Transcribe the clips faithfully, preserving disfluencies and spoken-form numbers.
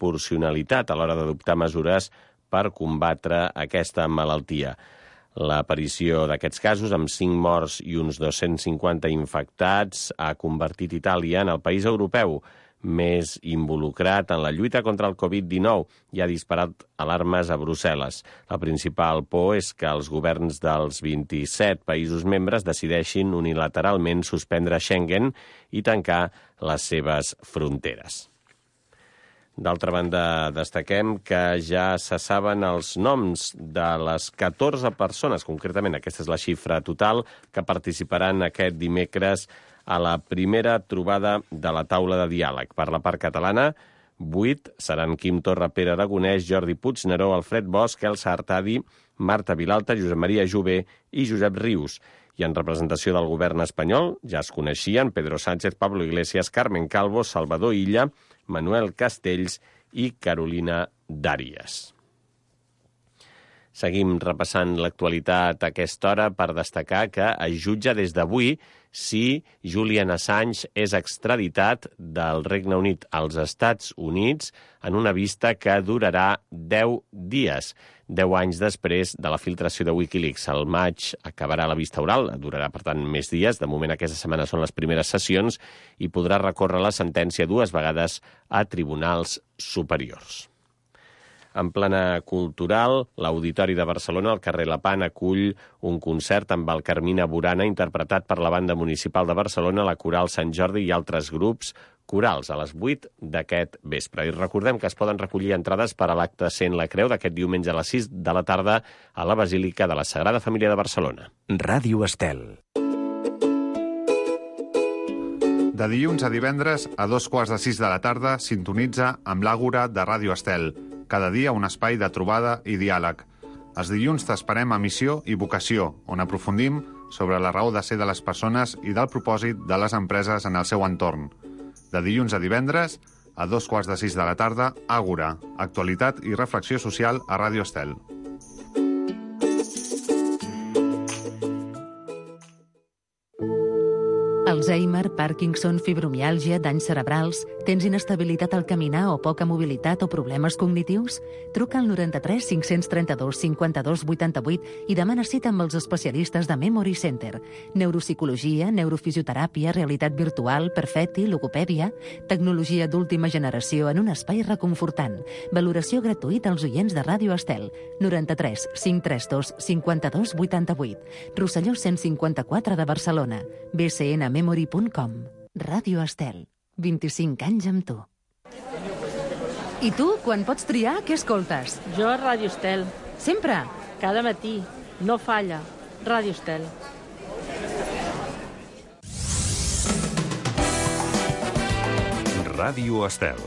proporcionalitat a l'hora d'adoptar mesures per combatre aquesta malaltia. L'aparició d'aquests casos, amb cinc morts i uns dos-cents cinquanta infectats, ha convertit Itàlia en el país europeu més involucrat en la lluita contra el covid dinou i ha disparat alarmes a Brussel·les. La principal por és que els governs dels vint-i-set països membres decideixin unilateralment suspendre Schengen i tancar les seves fronteres. D'altra banda, destaquem que ja se saben els noms de les catorze persones, concretament aquesta és la xifra total, que participaran aquest dimecres a la primera trobada de la taula de diàleg. Per la part catalana, vuit seran Quim Torra, Pere Aragonès, Jordi Puigneró, Alfred Bosch, Elsa Artadi, Marta Vilalta, Josep Maria Jové i Josep Rius. I en representació del govern espanyol ja es coneixien Pedro Sánchez, Pablo Iglesias, Carmen Calvo, Salvador Illa, Manuel Castells i Carolina Dàries. Seguim repassant l'actualitat a aquesta hora per destacar que es jutja des d'avui si Julian Assange és extraditat del Regne Unit als Estats Units en una vista que durarà deu dies. Deu anys després de la filtració de Wikileaks. Al maig acabarà la vista oral, durarà, per tant, més dies. De moment, aquesta setmana són les primeres sessions i podrà recórrer la sentència dues vegades a tribunals superiors. En plana cultural, l'Auditori de Barcelona, al carrer Lepant, acull un concert amb el Carmina Burana interpretat per la Banda Municipal de Barcelona, la Coral Sant Jordi i altres grups corals a les vuit d'aquest vespre. I recordem que es poden recollir entrades per a l'acte Sent la Creu d'aquest diumenge a les sis de la tarda a la Basílica de la Sagrada Família de Barcelona. Ràdio Estel. De dilluns a divendres, a dos quarts de sis de la tarda, sintonitza amb l'Àgora de Ràdio Estel. Cada dia un espai de trobada i diàleg. Els dilluns t'esperem a Missió i Vocació, on aprofundim sobre la raó de ser de les persones i del propòsit de les empreses en el seu entorn. De dilluns a divendres, a dos quarts de sis de la tarda, Àgora, actualitat i reflexió social a Ràdio Estel. Alzheimer, Parkinson, fibromiàlgia, danys cerebrals... Tens inestabilitat al caminar o poca mobilitat o problemes cognitius? Truca al noranta-tres cinc-cents trenta-dos cinquanta-dos vuitanta-vuit i demana cita amb els especialistes de Memory Center. Neuropsicologia, neurofisioteràpia, realitat virtual, perfecti, logopèdia... Tecnologia d'última generació en un espai reconfortant. Valoració gratuïta als oients de Ràdio Estel. noranta-tres cinc trenta dos cinquanta-dos vuitanta-vuit. Rosselló cent cinquanta-quatre de Barcelona. b c n memory punt com. Ràdio Estel. vint-i-cinc anys amb tu. I tu, quan pots triar, què escoltes? Jo a Ràdio Estel. Sempre? Cada matí. No falla. Ràdio Estel. Ràdio Estel.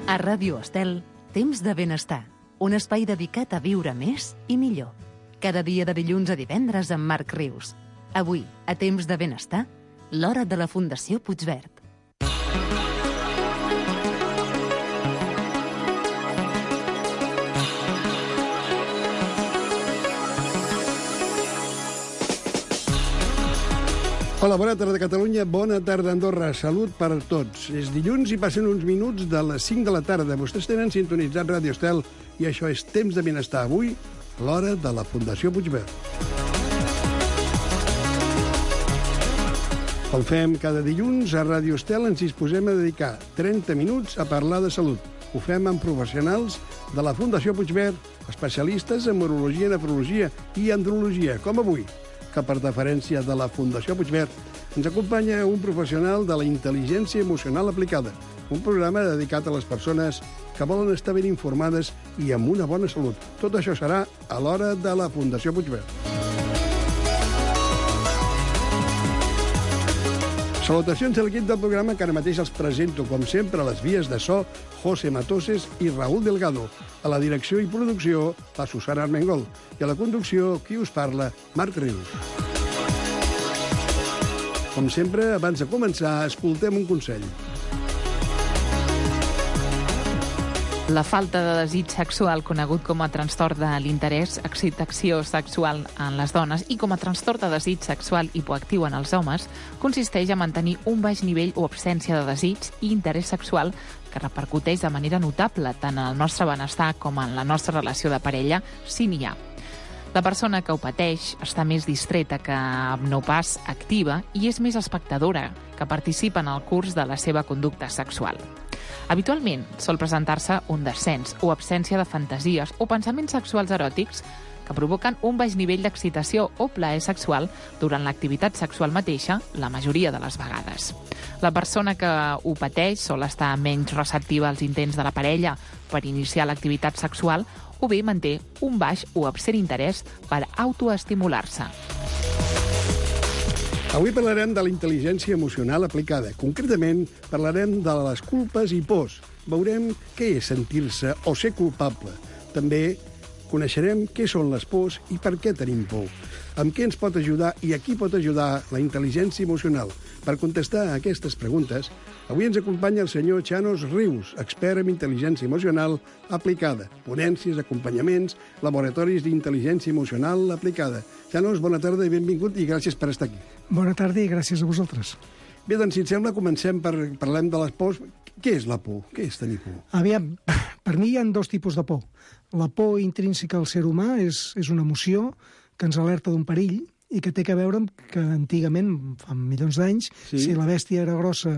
A Ràdio Estel, Temps de Benestar, un espai dedicat a viure més i millor. Cada dia de dilluns a divendres amb Marc Rius. Avui, a Temps de Benestar, l'hora de la Fundació Puigverd. Hola, bona tarda Catalunya, bona tarda Andorra, salut per a tots. És dilluns i passen uns minuts de les cinc de la tarda. Vostès tenen sintonitzat Ràdio Estel i això és Temps de Benestar. Avui, l'hora de la Fundació Puigverd. Com fem cada dilluns, a Ràdio Estel ens disposem a dedicar trenta minuts a parlar de salut. Ho fem amb professionals de la Fundació Puigverd, especialistes en urologia, nefrologia i andrologia, com avui, que per deferència de la Fundació Puigverd ens acompanya un professional de la intel·ligència emocional aplicada, un programa dedicat a les persones que volen estar ben informades i amb una bona salut. Tot això serà a l'hora de la Fundació Puigverd. Salutacions a l'equip del programa que ara mateix els presento, com sempre, a les vies de so, José Matoses i Raúl Delgado. A la direcció i producció, la Susana Armengol. I a la conducció, qui us parla, Marc Rius. Com sempre, abans de començar, escoltem un consell. La falta de desig sexual, conegut com a trastorn de l'interès, excitació sexual en les dones i com a trastorn de desig sexual hipoactiu en els homes, consisteix a mantenir un baix nivell o absència de desig i interès sexual que repercuteix de manera notable tant en el nostre benestar com en la nostra relació de parella, si n'hi ha. La persona que ho pateix està més distreta que no pas activa i és més espectadora, que participa en el curs de la seva conducta sexual. Habitualment sol presentar-se un descens o absència de fantasies o pensaments sexuals eròtics que provoquen un baix nivell d'excitació o plaer sexual durant l'activitat sexual mateixa, la majoria de les vegades. La persona que ho pateix sol estar menys receptiva als intents de la parella per iniciar l'activitat sexual o bé manté un baix o absent interès per autoestimular-se. Avui parlarem de la intel·ligència emocional aplicada. Concretament, parlarem de les culpes i pors. Veurem què és sentir-se o ser culpable. També coneixerem què són les pors i per què tenim por. Amb què ens pot ajudar i a qui pot ajudar la intel·ligència emocional? Per contestar a aquestes preguntes, avui ens acompanya el senyor Chanos Rius, expert en intel·ligència emocional aplicada, ponències, acompanyaments, laboratoris d'intel·ligència emocional aplicada. Chanos, bona tarda i benvingut i gràcies per estar aquí. Bona tarda i gràcies a vosaltres. Bé, doncs, si et sembla, comencem per parlem de les pors. Què és la por? Què és tenir por? Aviam, per mi hi ha dos tipus de por. La por intrínseca al ser humà és, és una emoció que ens alerta d'un perill i que té a veure amb que antigament, fa milions d'anys, sí. Si la bèstia era grossa,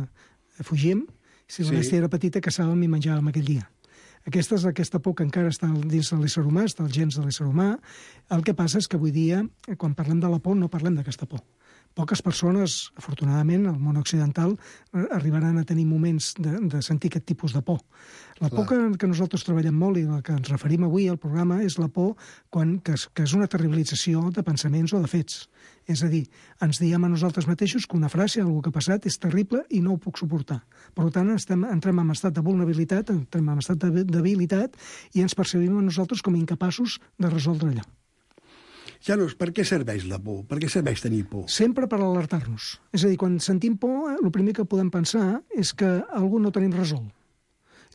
fugíem, si la sí. bèstia era petita, caçàvem i menjàvem aquell dia. Aquesta és aquesta por que encara està dins de l'ésser humà, està als gens de l'ésser humà. El que passa és que avui dia, quan parlem de la por, no parlem d'aquesta por. Poques persones, afortunadament, al món occidental, arribaran a tenir moments de, de sentir aquest tipus de por. La por que, que nosaltres treballem molt i la que ens referim avui al programa és la por quan, que, és, que és una terribilització de pensaments o de fets. És a dir, ens diem a nosaltres mateixos que una frase, algo que ha passat, és terrible i no ho puc suportar. Per tant, estem, entrem en estat de vulnerabilitat, entrem en estat de debilitat i ens percebim a nosaltres com a incapaços de resoldre allò. Janos, per què serveix la por? Per què serveix tenir por? Sempre per alertar-nos. És a dir, quan sentim por, el primer que podem pensar és que algú no tenim resolt.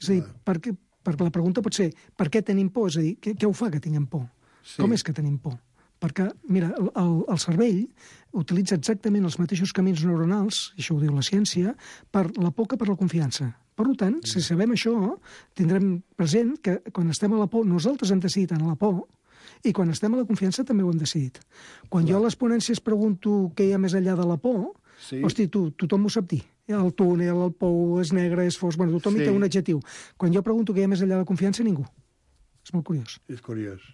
És a dir, per què, perquè la pregunta pot ser per què tenim por? És a dir, què, què ho fa que tinguem por? Sí. Com és que tenim por? Perquè, mira, el, el cervell utilitza exactament els mateixos camins neuronals, i això ho diu la ciència, per la por que per la confiança. Per tant, si sabem això, tindrem present que quan estem a la por, nosaltres hem decidit anar a la por, i quan estem a la confiança també ho hem decidit. Quan Clar. jo a les ponències pregunto què hi ha més enllà de la por, sí. hosti, tu, tothom ho sap dir. El túnel, el pou, és negre, és fos... Bueno, tothom sí. hi té un adjectiu. Quan jo pregunto què hi ha més enllà de la confiança, ningú. És molt curiós. És curiós.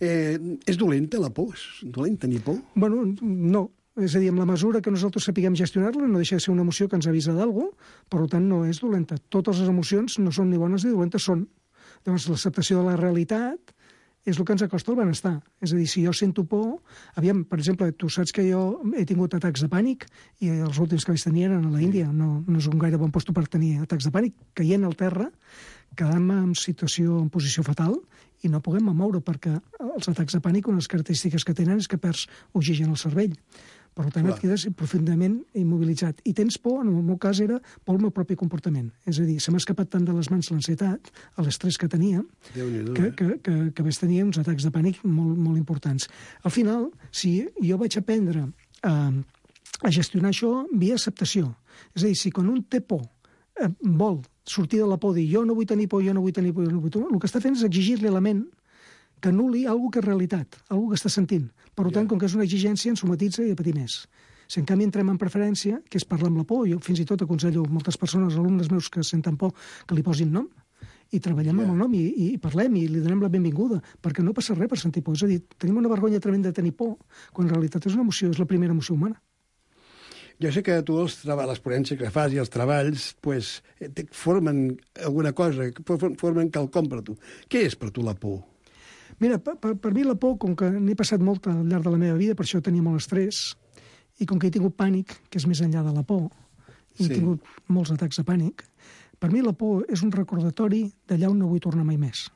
Eh, és dolenta la por? És dolent tenir por? Bueno, no. És a dir, en la mesura que nosaltres sapiguem gestionar-la, no deixa de ser una emoció que ens avisa d'algú, per tant, no és dolenta. Totes les emocions no són ni bones ni dolentes, són. Llavors, l'acceptació de la realitat és el que ens acosta al benestar. És a dir, si jo sento por... Aviam, per exemple, tu saps que jo he tingut atacs de pànic i els últims que vaig tenir eren a la Índia. No, no és un gaire bon lloc per tenir atacs de pànic. Caient al terra, quedant-me en situació, en posició fatal i no puguem moure perquè els atacs de pànic, una de les característiques que tenen és que perds oxigen al cervell. Per tant, et quedes profundament immobilitzat. I tens por, en el meu cas, era por al meu propi comportament. És a dir, se m'ha escapat tant de les mans l'ansietat, l'estrès que tenia, que, que, que, que vaig tenir uns atacs de pànic molt, molt importants. Al final, si jo vaig aprendre a, a gestionar això via acceptació. És a dir, si quan un té por eh, vol sortir de la por, dir jo no vull tenir por, jo no vull tenir por, jo no vull tenir por, el que està fent és exigir-li a la ment que anul·li alguna que és realitat, alguna que està sentint. Per tant, yeah. com que és una exigència, ens somatitza i a patir més. Si en canvi entrem en preferència, que és parlar amb la por, jo fins i tot aconsello a moltes persones, alumnes meus que senten por, que li posin nom, i treballem yeah. amb el nom, i, i parlem, i li donem la benvinguda, perquè no passa res per sentir por. És a dir, tenim una vergonya tremenda de tenir por, quan en realitat és una emoció, és la primera emoció humana. Jo sé que tu els treballs, les ponències que fas i els treballs pues, formen alguna cosa, formen quelcom per tu. Què és per tu la por? Mira, per, per, per mi la por, com que n'he passat molt al llarg de la meva vida, per això tenia molt estrès, i com que he tingut pànic, que és més enllà de la por, i sí. he tingut molts atacs de pànic, per mi la por és un recordatori d'allà on no vull tornar mai més.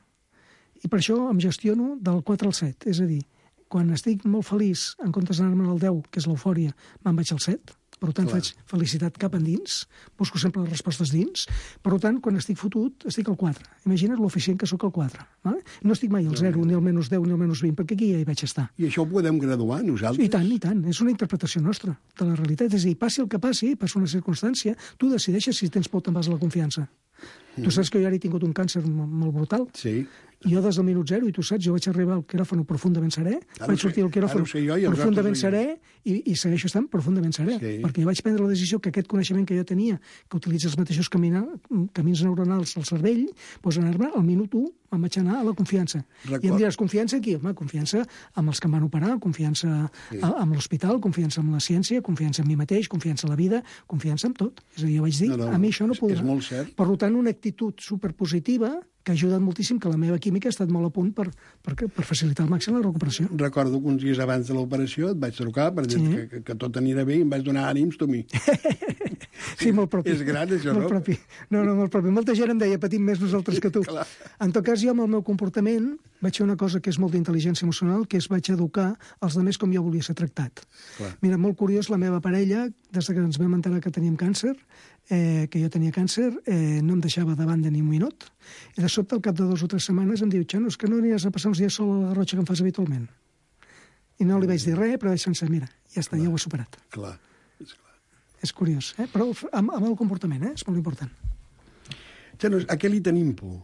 I per això em gestiono del quatre al set, és a dir, quan estic molt feliç, en comptes d'anar-me'n al deu, que és l'eufòria, me'n vaig al set, Per tant, Clar. faig felicitat cap endins, busco sempre les respostes dins. Per tant, quan estic fotut, estic al quatre. Imagina't l'eficient que sóc al quatre. Vale? No estic mai al zero, ni al menys deu, ni al menys vint, perquè aquí ja hi vaig estar. I això ho podem graduar, nosaltres? I tant, i tant. És una interpretació nostra de la realitat. És a dir, passi el que passi, passa una circumstància, tu decideixes si tens por o te'n vas a la confiança. Mm. Tu saps que jo ara he tingut un càncer molt brutal. Sí. Jo des del minut zero, i tu saps, jo vaig arribar al quiròfano profundament serè, Ara vaig sortir al quiròfano profundament serè i, i segueixo estant profundament serè, Sí. perquè jo vaig prendre la decisió que aquest coneixement que jo tenia, que utilitza els mateixos camina, camins neuronals al cervell, doncs anar-me al minut u em vaig anar a la confiança. Record. I em diràs, confiança aquí? Home, confiança amb els que em van operar, confiança Sí. a, amb l'hospital, confiança amb la ciència, confiança en mi mateix, confiança en la vida, confiança en tot. És a dir, jo vaig dir, No, no, a mi això no és- podrà. és molt cert. Per tant, una actitud superpositiva que ha ajudat moltíssim, que la meva química ha estat molt a punt per, per, per facilitar al màxim la recuperació. Recordo que uns dies abans de l'operació et vaig trucar per dir Sí. que, que, que tot anirà bé i em vaig donar ànims tu a mi. Sí, molt propi. És gran, això, molt no? Propi. No, no, molt propi. Molta gent em deia, patim més nosaltres que tu. Clar. En tot cas, jo amb el meu comportament vaig fer una cosa que és molt d'intel·ligència emocional, que és vaig educar els altres com jo volia ser tractat. Clar. Mira, molt curiós, la meva parella, des que ens vam enterar que teníem càncer, eh, que jo tenia càncer, eh, no em deixava de banda ni un minut, i de sobte, al cap de dues o tres setmanes, em diu, Xano, és que no aniràs a passar uns dies sol a la Garrotxa que em fas habitualment. I no li vaig dir res, però vaig pensar, mira, ja està, ja ho he superat. Clar, és clar. És curiós, eh? Però amb, amb el comportament, eh? És molt important. Xanos, a què li tenim por?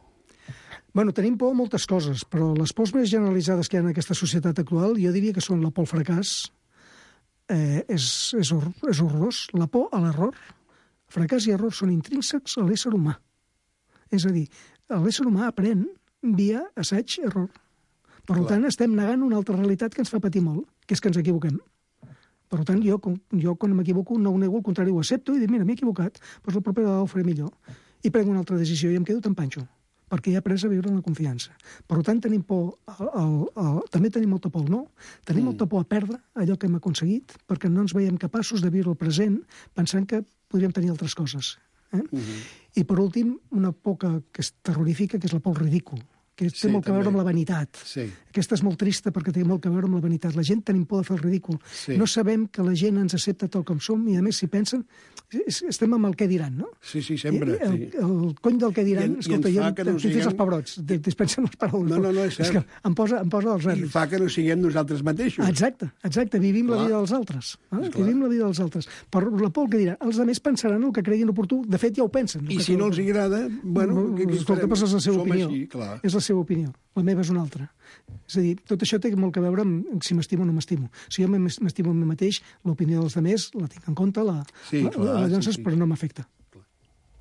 Bueno, tenim por a moltes coses, però les pors més generalitzades que hi ha en aquesta societat actual, jo diria que són la por al fracàs, eh, és, és, hor és horrorós, la por a l'error. Fracàs i error són intrínsecs a l'ésser humà. És a dir, l'ésser humà aprèn via assaig-error. Per Clar. tant, estem negant una altra realitat que ens fa patir molt, que és que ens equivoquem. Per tant, jo, jo quan m'equivoco no ho nego, al contrari, ho accepto i dic, mira, m'he equivocat, doncs la propera vegada ho faré millor. I prenc una altra decisió i em quedo tan panxo, perquè he après a viure en la confiança. Per tant, tenim por, al, al, al, també tenim molta por al no, tenim mm. molta por a perdre allò que hem aconseguit, perquè no ens veiem capaços de viure el present pensant que podríem tenir altres coses. Eh? Mm -hmm. I per últim, una por que, que és terrorífica, que és la por al ridícul, que té Sí, molt que també. veure amb la vanitat. Sí. Aquesta és molt trista perquè té molt que veure amb la vanitat. La gent tenim por de fer el ridícul. Sí. No sabem que la gent ens accepta tal com som i, a més, si pensen, es- estem amb el què diran, no? Sí, sí, sempre. I el, Sí. el cony del què diran, I en- i escolta, ens jo fa que no tinc fins siguem- els pebrots, te- dispensen les paraules. No, no, no, és és cert. que em posa, em posa els I nervis. fa que no siguem nosaltres mateixos. Exacte, exacte, vivim Clar. la vida dels altres. Eh? Clar. Vivim la vida dels altres. Per la por que diran, els altres pensaran el que creguin oportú, de fet ja ho pensen. I si no els agrada, bueno, què, què escolta, farem? però és la seva Som opinió. així, clar. És la seva opinió. La meva és una altra. És a dir, tot això té molt que veure amb si m'estimo o no m'estimo. Si jo m'estimo a mi mateix, l'opinió dels altres la tinc en compte, la, Sí, la, clar, la llances, sí, sí. però no m'afecta.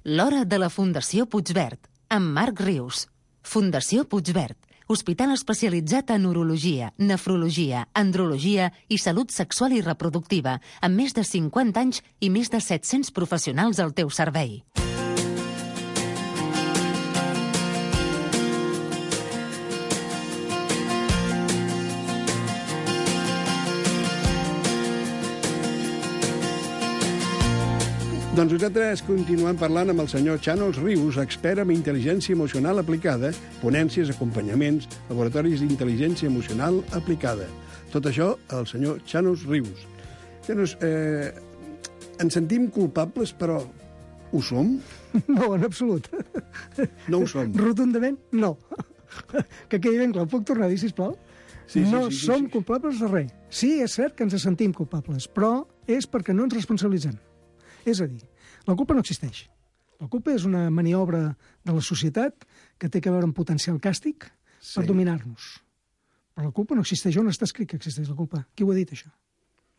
L'Hora de la Fundació Puigverd, amb Marc Rius. Fundació Puigverd, hospital especialitzat en urologia, nefrologia, andrologia i salut sexual i reproductiva, amb més de cinquanta anys i més de set-cents professionals al teu servei. Doncs nosaltres continuem parlant amb el senyor Xanos Rius, expert en intel·ligència emocional aplicada, ponències, acompanyaments, laboratoris d'intel·ligència emocional aplicada. Tot això, el senyor Xanos Rius. Xanos, eh, ens sentim culpables, però ho som? No, en absolut. No ho som. Rotundament, no. Que quedi ben clar, puc tornar a dir, sisplau? Sí, sí, no sí, sí, som sí. culpables de res. Sí, és cert que ens sentim culpables, però és perquè no ens responsabilitzem. És a dir, la culpa no existeix. La culpa és una maniobra de la societat que té que veure amb potencial càstig Sí. per dominar-nos. Però la culpa no existeix. On està escrit que existeix la culpa? Qui ho ha dit, això?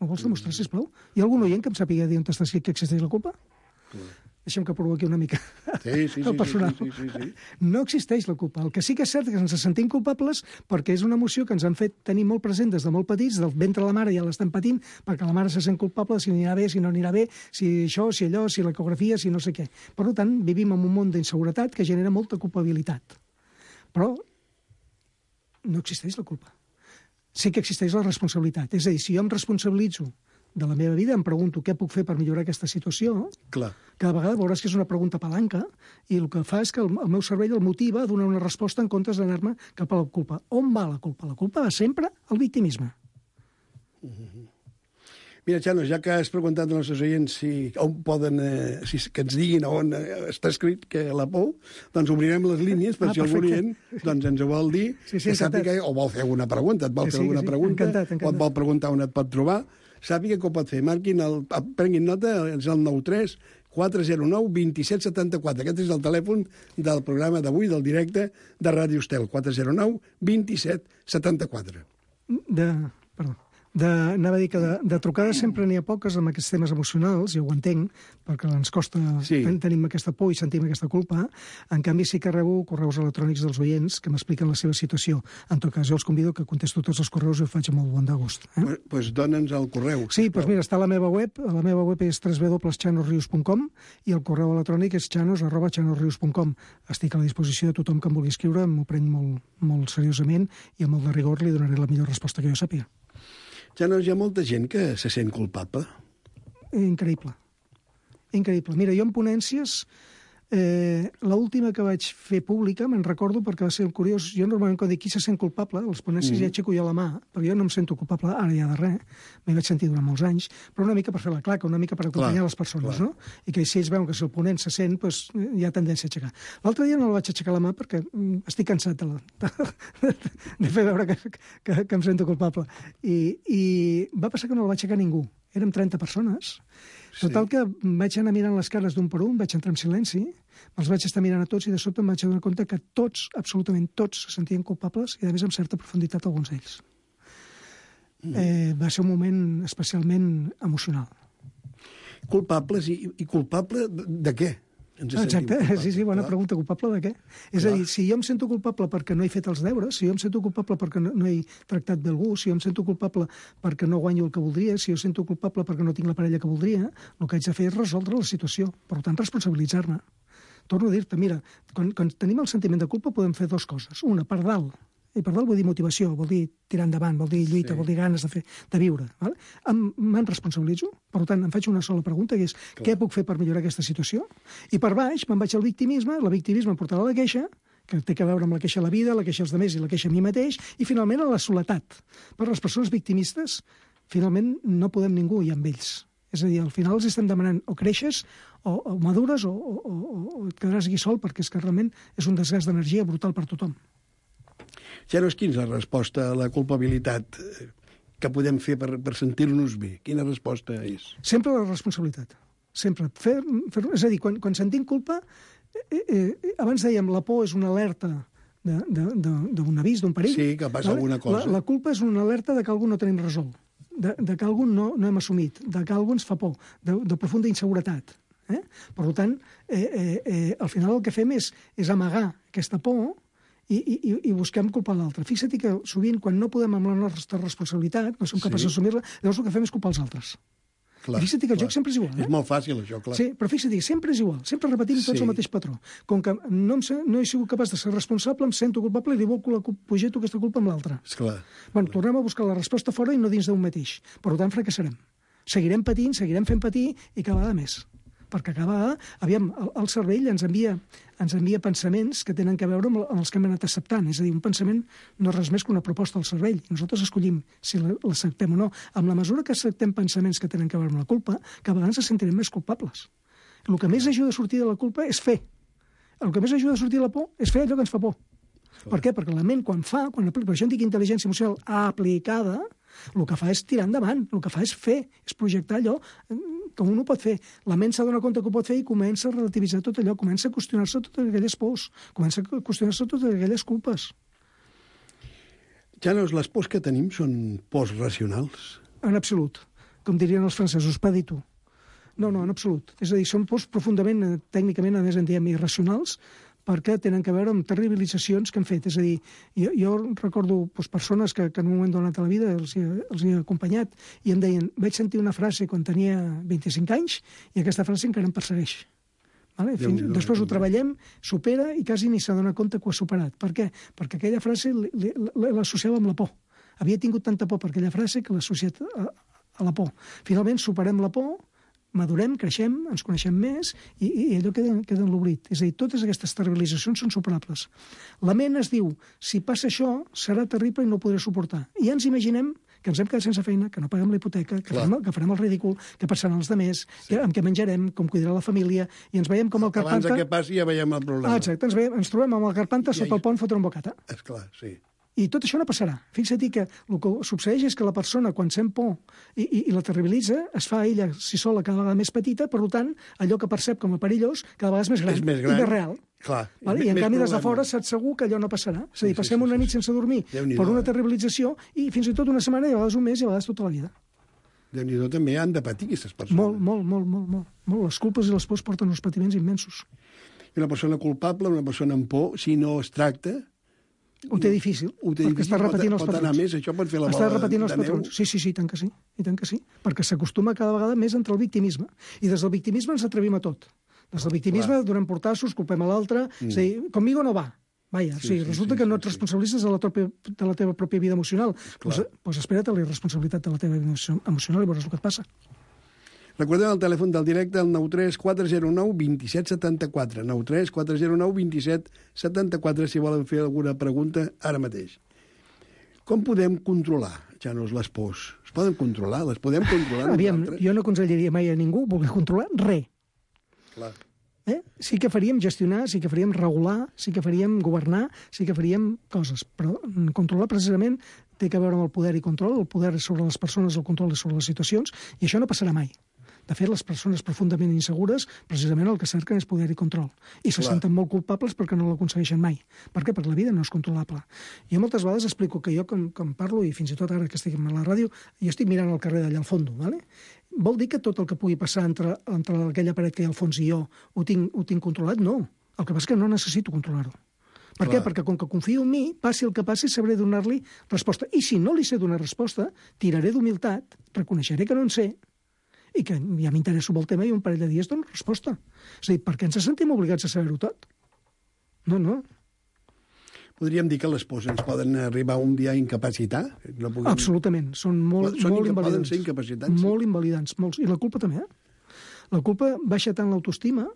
M'ho vols demostrar, sisplau? Hi ha algun oient que em sàpiga dir on està escrit que existeix la culpa? Deixa'm que provoqui una mica Sí, sí, sí, el personal. sí, sí, sí, sí. No existeix la culpa. El que sí que és cert és que ens sentim culpables perquè és una emoció que ens han fet tenir molt present des de molt petits, del ventre de la mare ja l'estan patint, perquè la mare se sent culpable si anirà bé, si no anirà bé, si això, si allò, si l'ecografia, si no sé què. Per tant, vivim en un món d'inseguretat que genera molta culpabilitat. Però no existeix la culpa. Sí que existeix la responsabilitat. És a dir, si jo em responsabilitzo de la meva vida, em pregunto què puc fer per millorar aquesta situació, Clar. cada vegada veuràs que és una pregunta palanca i el que fa és que el, el meu cervell el motiva a donar una resposta en comptes d'anar-me cap a la culpa. On va la culpa? La culpa va sempre al victimisme. Mira, Xanos, ja que has preguntat als nostres oients si, on poden, eh, si, que ens diguin on eh, està escrit que la por, doncs obrirem les línies per ah, si algun oient doncs, ens ho vol dir, sí, sí, que sàpiga, o vol fer alguna pregunta, et vol sí, fer alguna sí, pregunta, encantat, encantat. O et vol preguntar on et pot trobar, sàpiga que ho pot fer. Marquin, el, prenguin nota, és el nou tres quatre zero nou dos set set quatre. Aquest és el telèfon del programa d'avui, del directe de Ràdio Estel, quatre zero nou dos set set quatre. De... Perdó. De, anava a dir que de, de trucades sempre n'hi ha poques amb aquests temes emocionals, jo ho entenc, perquè ens costa, sí. ten, tenim aquesta por i sentim aquesta culpa. En canvi, sí que rebo correus electrònics dels oients que m'expliquen la seva situació. En tot cas, jo els convido que contesto tots els correus i ho faig amb molt bon de gust. Eh? Pues, pues dona'ns el correu. Sí, doncs mira, està a la meva web, a la meva web és w w w punt chanosrius punt com i el correu electrònic és chanos arroba chanosrius punt com. Estic a la disposició de tothom que em vulgui escriure, m'ho prenc molt, molt seriosament i amb molt de rigor li donaré la millor resposta que jo sàpiga. Ja no hi ha molta gent que se sent culpable. Increïble. Increïble. Mira, jo en ponències, eh, l'última que vaig fer pública, me'n recordo perquè va ser curiós, jo normalment quan dic qui se sent culpable, a les ponències mm. ja aixeco jo la mà, perquè jo no em sento culpable ara ja de res, m'hi vaig sentir durant molts anys, però una mica per fer la claca, una mica per acompanyar clar, les persones, clar. No? I que si ells veuen que si el ponent se sent, doncs hi ha tendència a aixecar. L'altre dia no la vaig aixecar la mà perquè estic cansat de, la, de, de fer veure que, que, que em sento culpable. I, I va passar que no la va aixecar ningú. Érem trenta persones. Total que vaig anar mirant les cares d'un per un, vaig entrar en silenci, els vaig estar mirant a tots i de sobte em vaig adonar compte que tots, absolutament tots, se sentien culpables i a més amb certa profunditat alguns d'ells. Mm. Eh, va ser un moment especialment emocional. Culpables i, i culpable de, de què? Exacte, sí, sí, bona pregunta. Culpable de què? És a dir, si jo em sento culpable perquè no he fet els deures, si jo em sento culpable perquè no, no he tractat bé algú, si jo em sento culpable perquè no guanyo el que voldria, si jo em sento culpable perquè no tinc la parella que voldria, el que haig de fer és resoldre la situació. Per tant, responsabilitzar-me. Torno a dir-te, mira, quan, quan tenim el sentiment de culpa podem fer dues coses. Una, per dalt, i per dalt vol dir motivació, vol dir tirar endavant, vol dir lluita, sí. Vol dir ganes de fer, de viure. Vale? Me'n responsabilitzo, per tant, em faig una sola pregunta, que és clar. Què puc fer per millorar aquesta situació? I per baix me'n vaig al victimisme, la victimisme em portarà a la queixa, que té a veure amb la queixa a la vida, la queixa als altres i la queixa a mi mateix, i finalment a la soledat. Per les persones victimistes, finalment no podem ningú i amb ells. És a dir, al final els estem demanant o creixes, o, o madures, o, o, o, o et quedaràs aquí sol, perquè és que realment és un desgast d'energia brutal per tothom. Janos, quina és la resposta a la culpabilitat que podem fer per, per sentir-nos bé? Quina resposta és? Sempre la responsabilitat. Sempre. Fer, fer, és a dir, quan, quan sentim culpa, eh, eh, abans dèiem la por és una alerta d'un avís, d'un perill. Sí, que passa vale? Alguna cosa. La, la culpa és una alerta de que algú no tenim resolt, de, de que algú no, no hem assumit, de que algú ens fa por, de, de profunda inseguretat. Eh? Per tant, eh, eh, eh, al final el que fem és, és amagar aquesta por i, i, i busquem culpar l'altre. Fixa't que sovint, quan no podem amb la nostra responsabilitat, no som capaços sí. d'assumir-la, llavors el que fem és culpar els altres. Clar, fixa't que el clar. joc sempre és igual. Eh? És molt fàcil, això, clar. Sí, però fixa't que sempre és igual. Sempre repetim tots sí. el mateix patró. Com que no, em, no he sigut capaç de ser responsable, em sento culpable i li vol pujar-ho aquesta culpa amb l'altre. Esclar. Bueno, tornem a buscar la resposta fora i no dins d'un mateix. Per tant, fracassarem. Seguirem patint, seguirem fent patir i cada vegada més. Perquè acaba, aviam, el, el cervell ens envia, ens envia pensaments que tenen a veure amb, amb els que hem anat acceptant. És a dir, un pensament no és res més que una proposta del cervell. Nosaltres escollim si l'acceptem o no. Amb la mesura que acceptem pensaments que tenen a veure amb la culpa, cada vegada ens sentirem més culpables. El que més ajuda a sortir de la culpa és fer. El que més ajuda a sortir de la por és fer allò que ens fa por. Per què? Perquè la ment, quan fa, quan aplica, per això en dic intel·ligència emocional aplicada, el que fa és tirar endavant, el que fa és fer, és projectar allò que un ho pot fer. La ment s'ha donat compte que ho pot fer i comença a relativitzar tot allò, comença a qüestionar-se totes aquelles pors, comença a qüestionar-se totes aquelles culpes. Janos, les pors que tenim són pors racionals? En absolut. Com dirien els francesos, pas du tout. No, no, en absolut. És a dir, són pors profundament, tècnicament, a més en diem irracionals, perquè tenen a veure amb terribilitzacions que han fet. És a dir, jo, jo recordo doncs, persones que, que en un moment donat a la vida els, els he acompanyat i em deien, vaig sentir una frase quan tenia vint-i-cinc anys i aquesta frase encara em persegueix. Vale? Fins, Déu, després ho treballem, supera i quasi ni s'adona compte que ho ha superat. Per què? Perquè aquella frase l'associava amb la por. Havia tingut tanta por per aquella frase que l'ha associat a, a la por. Finalment superem la por, madurem, creixem, ens coneixem més i, i allò queda, queda en l'oblit. És a dir, totes aquestes terribilitzacions són superables. La ment es diu, si passa això, serà terrible i no ho podré suportar. I ja ens imaginem que ens hem quedat sense feina, que no paguem la hipoteca, que, farem, que farem el ridícul, que passaran els demés, sí. que, amb què menjarem, com cuidarà la família, i ens veiem com el Carpanta... Abans que passi ja veiem el problema. Ah, exacte, ens, veiem, ens trobem amb el Carpanta sota el pont fotre un bocata. Esclar, sí. I tot això no passarà. Fixa't que el que succeeix és que la persona, quan sent por i, i, i la terribilitza, es fa ella, si sola, cada vegada més petita, per tant, allò que percep com a perillós, cada vegada és més gran, és més gran. i més real. Clar. Vale? I en canvi, des de fora, saps segur que allò no passarà. És a dir, Sí, sí, passem sí, una sí. nit sense dormir per una terribilització i fins i tot una setmana, i a vegades un mes, i a vegades tota la vida. Déu-n'hi-do, també han de patir aquestes persones. Molt, molt, molt, molt, molt, molt. Les culpes i les pors porten uns patiments immensos. I una persona culpable, una persona amb por, si no es tracta... Ho té difícil, ho té perquè difícil, està repetint pot, els pot patrons. anar més, això pot fer la Està bola repetint els de neu. patrons. Sí, sí, sí, i tant que sí. I tant que sí. Perquè s'acostuma cada vegada més entre el victimisme. I des del victimisme ens atrevim a tot. Des del victimisme Clar. donem portassos, culpem a l'altre. Mm. És a dir, conmigo no va. Vaja, Sí, sí, sí, resulta sí, que no sí, et sí. responsabilitzes de la, teva, de la teva pròpia vida emocional. Doncs pues espera't a la irresponsabilitat de la teva vida emocional i veuràs el que et passa. Recordem el telèfon del directe, el nou tres quatre zero nou dos set set quatre. nou tres quatre zero nou dos set set quatre, si volen fer alguna pregunta ara mateix. Com podem controlar, Janos, les pors? Es poden controlar? Les podem controlar Aviam, nosaltres? jo no aconsellaria mai a ningú voler controlar res. Clar. Eh? Sí que faríem gestionar, sí que faríem regular, sí que faríem governar, sí que faríem coses, però controlar precisament té que veure amb el poder i control. El poder és sobre les persones, el control és sobre les situacions, i això no passarà mai. De fet, les persones profundament insegures, precisament el que cerquen és poder i control. I se Clar. senten molt culpables perquè no l'aconsegueixen mai. Per què? Perquè la vida no és controlable. Jo moltes vegades explico que jo, com, com parlo, i fins i tot ara que estic a la ràdio, jo estic mirant al carrer d'allà al fons, ¿vale? Vol dir que tot el que pugui passar entre, entre aquella paret que hi ha al fons i jo ho tinc, ho tinc controlat? No. El que passa és que no necessito controlar-ho. Per Clar. què? Perquè com que confio en mi, passi el que passi, sabré donar-li resposta. I si no li sé donar resposta, tiraré d'humilitat, reconeixeré que no en sé, i que ja m'interesso molt el tema i un parell de dies dono resposta. És a dir, per què ens sentim obligats a saber-ho tot? No, no. Podríem dir que les pors ens poden arribar un dia a incapacitar? No puguem... Absolutament. Són molt, Són molt inca- invalidants. poden ser incapacitants, sí. Molt invalidants. Molts. I la culpa també, eh? La culpa baixa tant l'autoestima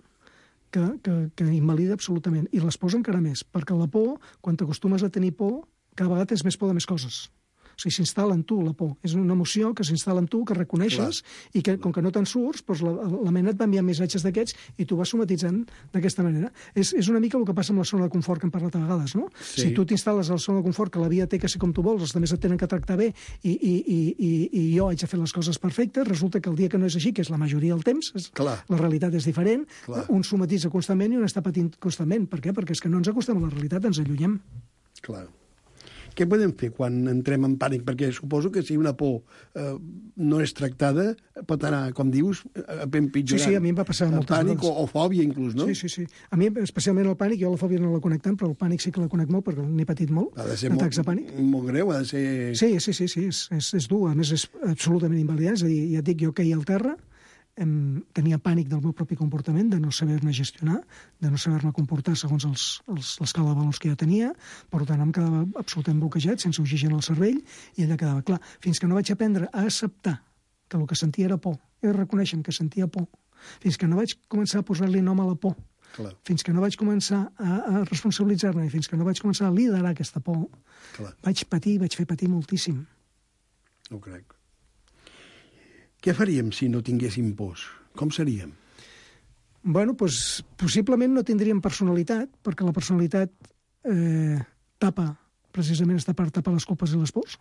que, que, que invalida absolutament. I les pors encara més, perquè la por, quan t'acostumes a tenir por, cada vegada és més por de més coses. O sigui, s'instal·la en tu la por. És una emoció que s'instal·la en tu, que reconeixes, Clar. i que, com que no te'n surts, doncs la, la ment et va enviar missatges d'aquests i tu vas somatitzant d'aquesta manera. És, és una mica el que passa amb la zona de confort que hem parlat a vegades, no? Sí. Si tu t'instal·les a la zona de confort, que la vida té que ser com tu vols, els altres et tenen que tractar bé, i, i, i, i, i jo haig de fer les coses perfectes, resulta que el dia que no és així, que és la majoria del temps, és, Clar. la realitat és diferent, Clar. un somatitza constantment i un està patint constantment. Per què? Perquè és que no ens acostem a la realitat, ens allunyem. Clar. Què podem fer quan entrem en pànic? Perquè suposo que si una por eh, no és tractada, pot anar, com dius, a empitjorant. Sí, sí, a mi em va passar moltes pànic vegades. o, o fòbia, inclús, no? Sí, sí, sí. A mi, especialment el pànic, jo la fòbia no la conec tant, però el pànic sí que la conec molt, perquè n'he patit molt, Ha de ser atacs molt, de pànic. molt greu, ha de ser... Sí, sí, sí, sí, és, és, és dur, a més és absolutament invalidant, és a dir, ja et dic, jo queia al terra, em, tenia pànic del meu propi comportament, de no saber-me gestionar, de no saber-me comportar segons els, els, l'escala de valors que jo tenia, per tant em quedava absolutament bloquejat, sense oxigen al cervell, i allà quedava clar. Fins que no vaig aprendre a acceptar que el que sentia era por, i reconèixer que sentia por, fins que no vaig començar a posar-li nom a la por, Clar. fins que no vaig començar a, a responsabilitzar-me, i fins que no vaig començar a liderar aquesta por, Clar. vaig patir, vaig fer patir moltíssim. No ho crec. Què faríem si no tinguéssim pors? Com seríem? Bueno, doncs, possiblement no tindríem personalitat, perquè la personalitat eh, tapa, precisament està per tapar les culpes i les pors.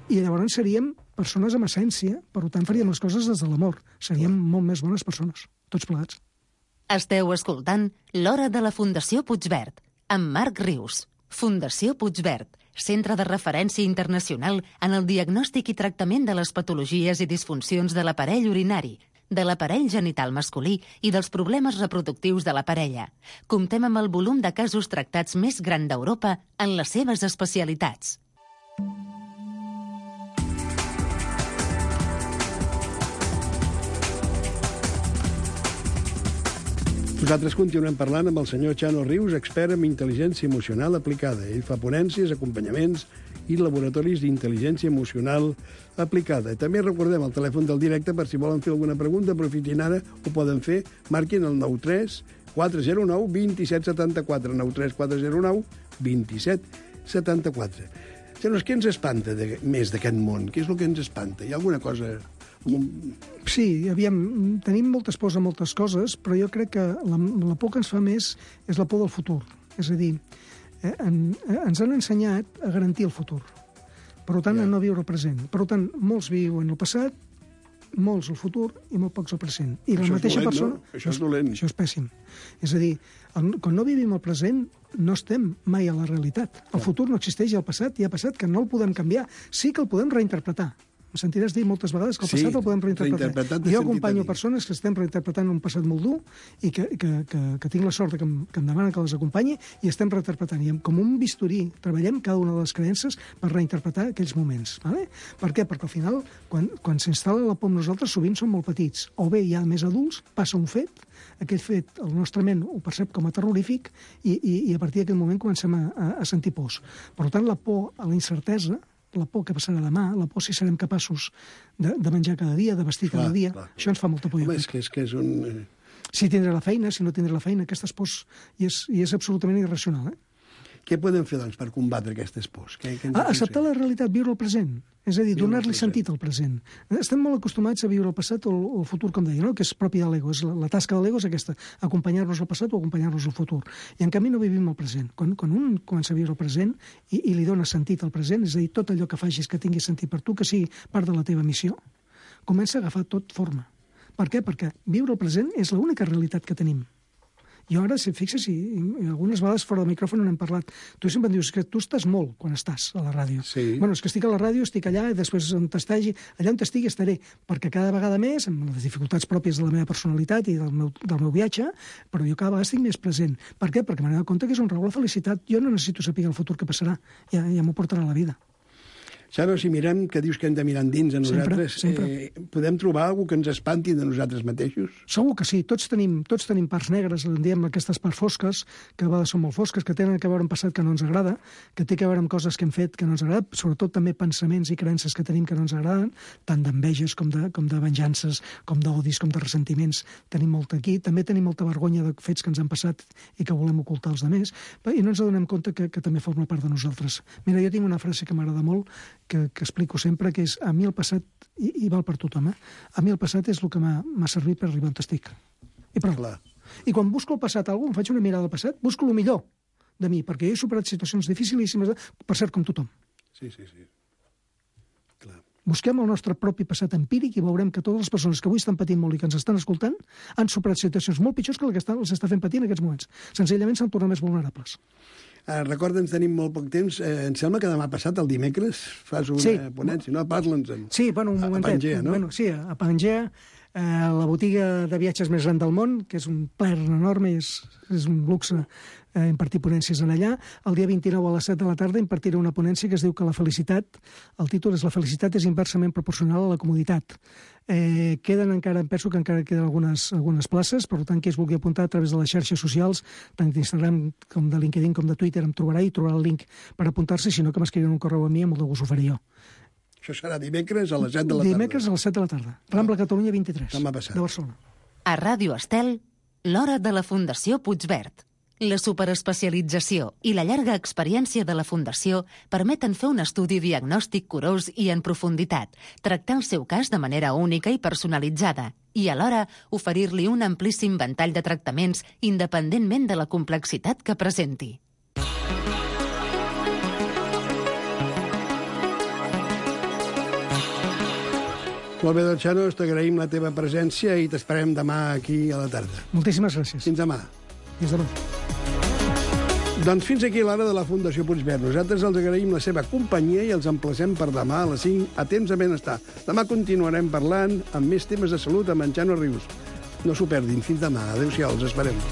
I llavors seríem persones amb essència, per tant faríem les coses des de l'amor. Seríem molt més bones persones, tots plegats. Esteu escoltant L'Hora de la Fundació Puigverd, amb Marc Rius. Fundació Puigverd, centre de referència internacional en el diagnòstic i tractament de les patologies i disfuncions de l'aparell urinari, de l'aparell genital masculí i dels problemes reproductius de la parella. Comptem amb el volum de casos tractats més gran d'Europa en les seves especialitats. Nosaltres continuem parlant amb el senyor Chano Rius, expert en intel·ligència emocional aplicada. Ell fa ponències, acompanyaments i laboratoris d'intel·ligència emocional aplicada. També recordem el telèfon del directe per si volen fer alguna pregunta, aprofitin ara, ho poden fer, marquin el nou tres quatre zero nou dos set set quatre, nou tres quatre zero nou dos set set quatre. Xanos, què ens espanta de, més d'aquest món? Què és el que ens espanta? Hi ha alguna cosa... Sí, aviam, tenim moltes pors a moltes coses, però jo crec que la, la por que ens fa més és la por del futur. És a dir, eh, en, eh, ens han ensenyat a garantir el futur. Per tant, ja. a no viure el present. Per tant, molts viuen el passat, molts el futur i molt pocs el present. I això la mateixa dolent, persona... No? Això és dolent. Això és pèssim. És a dir, el, quan no vivim el present, no estem mai a la realitat. El futur no existeix, el passat ja ha passat, que no el podem canviar. Sí que el podem reinterpretar. Em sentiràs dir moltes vegades que el passat sí, el podem reinterpretar. Jo acompanyo persones que estem reinterpretant un passat molt dur i que, que, que, que tinc la sort que em, que em demanen que les acompanyi i estem reinterpretant. I com un bisturí treballem cada una de les creences per reinterpretar aquells moments. Vale? Per què? Perquè al final, quan, quan s'instal·la la por amb nosaltres, sovint som molt petits. O bé ja més adults, passa un fet, aquell fet el nostre ment ho percep com a terrorífic i, i, i a partir d'aquell moment comencem a, a, a sentir pors. Per tant, la por a la incertesa, la por que passarà demà, la por si serem capaços de, de menjar cada dia, de vestir clar, cada dia, clar. Això ens fa molta por. Home, és que és, que és un... Si tindré la feina, si no tindré la feina, aquestes pors, i és, i és absolutament irracional. Eh? Què podem fer, doncs, per combatre aquestes pors? Què, què ah, acceptar la realitat, viure el present. És a dir, donar-li sentit al present. Estem molt acostumats a viure el passat o el, o el futur, com deia, no? Que és propi de l'ego. La, la tasca de l'ego és aquesta, acompanyar-nos al passat o acompanyar-nos al futur. I en canvi no vivim el present. Quan, quan un comença a viure el present i, i li dona sentit al present, és a dir, tot allò que facis que tingui sentit per tu, que sigui part de la teva missió, comença a agafar tot forma. Per què? Perquè viure el present és l'única realitat que tenim. Jo ara, si et fixes, i, i algunes vegades fora del micròfon n'hem parlat, tu sempre em dius que tu estàs molt quan estàs a la ràdio. Sí. Bueno, és que estic a la ràdio, estic allà, i després on t'estagi, allà on estigui estaré, perquè cada vegada més, amb les dificultats pròpies de la meva personalitat i del meu, del meu viatge, però jo cada vegada estic més present. Per què? Perquè m'he donat compte que és un raó la felicitat. Jo no necessito saber el futur que passarà, ja, ja m'ho portarà la vida. Xano, si mirem, que dius que hem de mirar endins a nosaltres, sempre, sempre. Eh, podem trobar alguna que ens espanti de nosaltres mateixos? Segur que sí. Tots tenim, tots tenim parts negres, en diem aquestes parts fosques, que a vegades són molt fosques, que tenen a veure amb passat que no ens agrada, que té a veure amb coses que hem fet que no ens agrada, sobretot també pensaments i creences que tenim que no ens agraden, tant d'enveges com de, com de venjances, com d'odis, com de ressentiments. Tenim molt aquí. També tenim molta vergonya de fets que ens han passat i que volem ocultar als altres, i no ens adonem compte que, que també forma part de nosaltres. Mira, jo tinc una frase que m'agrada molt, que, que explico sempre, que és a mi el passat, i, i val per tothom, eh? A mi el passat és el que m'ha servit per arribar on estic. I prou. Clar. I quan busco el passat algú, em faig una mirada al passat, busco el millor de mi, perquè jo he superat situacions dificilíssimes, per cert, com tothom. Sí, sí, sí. Clar. Busquem el nostre propi passat empíric i veurem que totes les persones que avui estan patint molt i que ens estan escoltant han superat situacions molt pitjors que la que estan, els està fent patir en aquests moments. Senzillament s'han tornat més vulnerables. Uh, Recorda'ns, tenim molt poc temps. Uh, em sembla que demà passat, el dimecres, fas una sí. ponència, no? Parla'ns. En... Sí, bueno, un momentet. A Pangea, no? Bueno, sí, a Pangea, eh, la botiga de viatges més gran del món, que és un plaer enorme, és, és un luxe eh, impartir ponències en allà. El dia vint-i-nou a les set de la tarda impartiré una ponència que es diu que la felicitat, el títol és La felicitat és inversament proporcional a la comoditat. Eh, queden encara, em penso que encara queden algunes, algunes places, per tant, qui es vulgui apuntar a través de les xarxes socials, tant d'Instagram com de LinkedIn com de Twitter, em trobarà i trobarà el link per apuntar-se, sinó que m'escriuen un correu a mi, amb molt de gust ho faré jo. Això serà dimecres a les set de la tarda. Dimecres a les set de la tarda. Rambla Catalunya vint-i-tres, demà passat, de Barcelona. A Ràdio Estel, l'hora de la Fundació Puigverd. La superespecialització i la llarga experiència de la Fundació permeten fer un estudi diagnòstic curós i en profunditat, tractar el seu cas de manera única i personalitzada i, alhora, oferir-li un amplíssim ventall de tractaments independentment de la complexitat que presenti. Molt bé, doncs, Xano, t'agraïm la teva presència i t'esperem demà aquí a la tarda. Moltíssimes gràcies. Fins demà. Fins demà. Doncs fins aquí l'hora de la Fundació Puigverd. Nosaltres els agraïm la seva companyia i els emplacem per demà a les cinc a Temps de Benestar. Demà continuarem parlant amb més temes de salut amb en Xano Rius. No s'ho perdin. Fins demà. Adéu-siau. Els esperem.